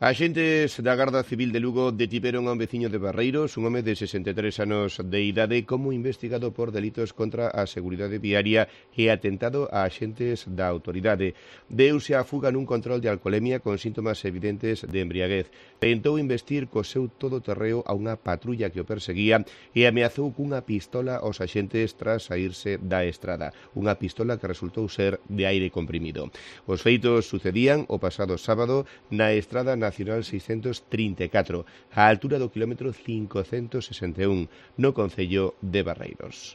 Axentes da Garda Civil de Lugo detiveron a un veciño de Barreiros, un home de 63 anos de idade, como investigado por delitos contra a seguridade viaria e atentado a axentes da autoridade. Deuse a fuga nun control de alcolemia con síntomas evidentes de embriaguez. Tentou investir co seu todoterreo a unha patrulla que o perseguía e ameazou cunha pistola aos axentes tras saírse da estrada. Unha pistola que resultou ser de aire comprimido. Os feitos sucedían o pasado sábado na estrada Nacional 634, á altura do quilómetro 561, no concello de Barreiros.